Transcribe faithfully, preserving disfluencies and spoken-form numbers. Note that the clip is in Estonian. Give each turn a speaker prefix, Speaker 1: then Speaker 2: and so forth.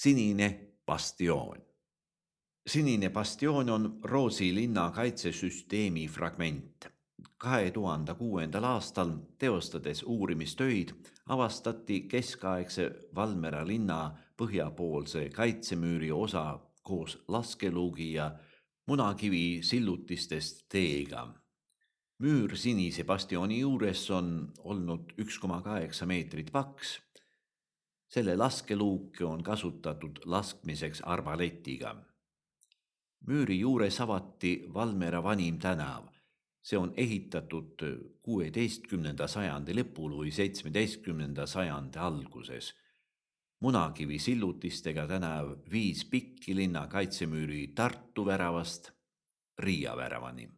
Speaker 1: Sinine bastioon. Sinine bastioon on Rootsi linna kaitsesüsteemi fragment. kahe tuhande kuuendal aastal teostades uurimistöid avastati keskaegse Valmiera linna põhjapoolse kaitsemüüri osa koos laskeluugi ja munakivi sillutistest teega. Müür Sinise bastiooni juures on olnud üks koma kaheksa meetrit paks. Selle laskeluuke on kasutatud laskmiseks arbaletiga. Müüri juures avati Valmiera vanim tänav. See on ehitatud kuueteistkümnenda sajandi lõpul või seitsmeteistkümnenda sajandi alguses. Munakivi sillutistega tänav viis Pikki linna kaitsemüüri Tartu väravast Riia väravani.